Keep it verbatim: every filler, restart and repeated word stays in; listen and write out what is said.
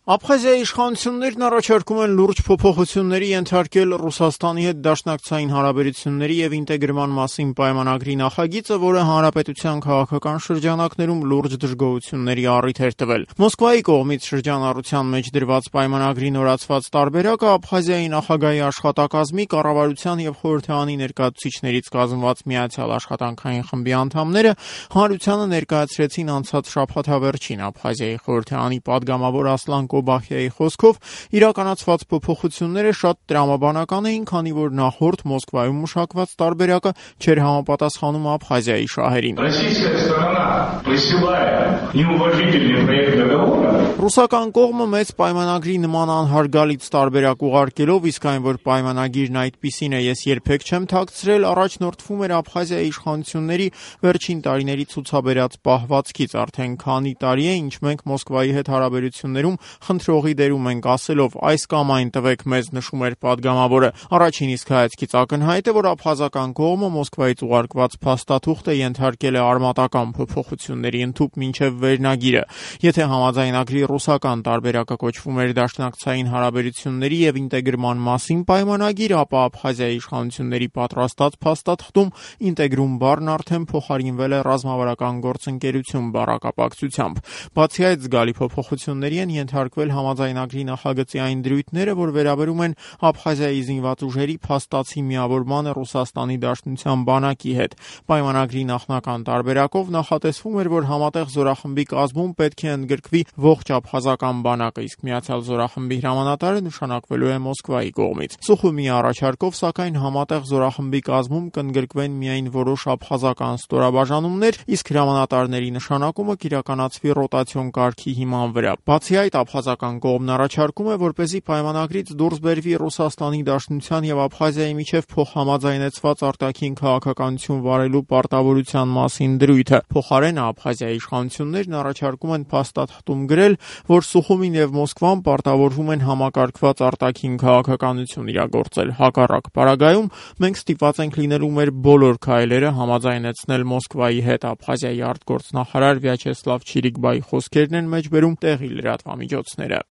Աբխազիայի իշխանություններն առաջարկում են լուրջ փոփոխությունների ենթարկել Ռուսաստանի հետ դաշնակցային հարաբերությունների եւ ինտեգրման մասին պայմանագրի նախագիծը, որը հանրապետության քաղաքական շրջանակներում լուրջ դժգոհությունների առիթ էր տվել։ Մոսկվայի կողմից շրջանառության մեջ դրված պայմանագրի նորացված տարբերակը Աբխազիայի նախագահի աշխատակազմի, կառավարության եւ խորհրդարանի ներկայացուցիչներից կազմված միացյալ աշխատանքային խմբի անդամները հանրությանը ներկայացրեցին անցած շաբաթավերջին։ Աբխազիայի խորհրդարանի падգամավոր Ասլան Կոբախյայի խոսքով իրականացված փոփոխությունները շատ տրամաբանական էին, քանի որ նախորդ Մոսկվայում մշակված տարբերակը չէր համապատասխանում Աբխազիայի շահերին։ Ռուսական կողմը մեծ պայմանագրի նման անհարգալից տարբերակ ուղարկելով, իսկ այն որ պայմանագիրն այդպիսին է, ես երբեք չեմ թաքցրել, առաջնորդվում էր Աբխազիայի իշխանությունների վերջին տարիների ցուցաբերած պահվածքից։ Արդեն քանի տարի է, ինչ մենք Մոսկվայի հետ հարաբերություններում խնդրողի դերում ենք ասելով այս կամ այն տվեք մեզ, նշում էր падգամավորը։ Առաջին իսկ հայացքից ակնհայտ է, որ աբխազական կողմը Մոսկվայից ուղարկված փաստաթուղթը ենթարկել է արմատական փոփոխությունների ընդհուպ մինչև վերնագիրը։ Եթե համաձայնագրի ռուսական տարբերակը կոչվում էր դաշնակցային հարաբերությունների եւ ինտեգրման մասին պայմանագիր, ապա Աբխազիայի իշխանությունների պատրաստած փաստաթղթում ինտեգրում բառն արդեն փոխարինվել է ռազմավարական գործընկերություն բառակապակցությամբ։ Բացի այդ, զգալի փոփոխությունների են ենթարկվել համաձայնագրի նախագծի այն դրույթները, որ վերաբերում են Աբխազիայի զինված ուժերի փաստացի միավորմանը Ռուսաստանի Դաշնության բանակի հետ։ Պայմանագրի նախնական տարբերակով նախատեսվում էր, որ համատեղ զորախմբի կազմում պետք է ընդգրկվի ողջ աբխազական բանակը, իսկ միացյալ զորախմբի հրամանատարը նշանակվելու է Մոսկվայի կողմից։ Սուխումի առաջարկով, սակայն, համատեղ զորախմբի կազմում կընդգրկվեն միայն որոշ աբխազական ստորաբաժանումներ, իսկ հրամանատարների նշանակումը կիրականացվի ռոտացիոն կարգի հիման վրա։ Բացի այդ, աբխազական կողմն առաջարկում է, որպեսզի պայմանագրից դուրս բերվի Ռուսաստանի Դաշնության եւ Աբխազիայի միջև փոխհամաձայնեցված արտաքին քաղաքականություն վարելու պարտավորության մասին դրույթը։ Փոխարենը Աբխազիայի իշխանություններն առաջարկում են փաստաթղթում գրել, որ Սուխումին եւ Մոսկվան պարտավորվում են համակարգված արտաքին քաղաքականություն իրագործել։ Հակառակ պարագայում մենք ստիպված ենք լինելու մեր բոլոր քայլերը համաձայնեցնել Մոսկվայի հետ։ Աբխազիայի արտգործնախարար Վյաչեսլավ Չիրիկբայի խոսքերն են մեջբերում տեղի լրատվամիջոցները։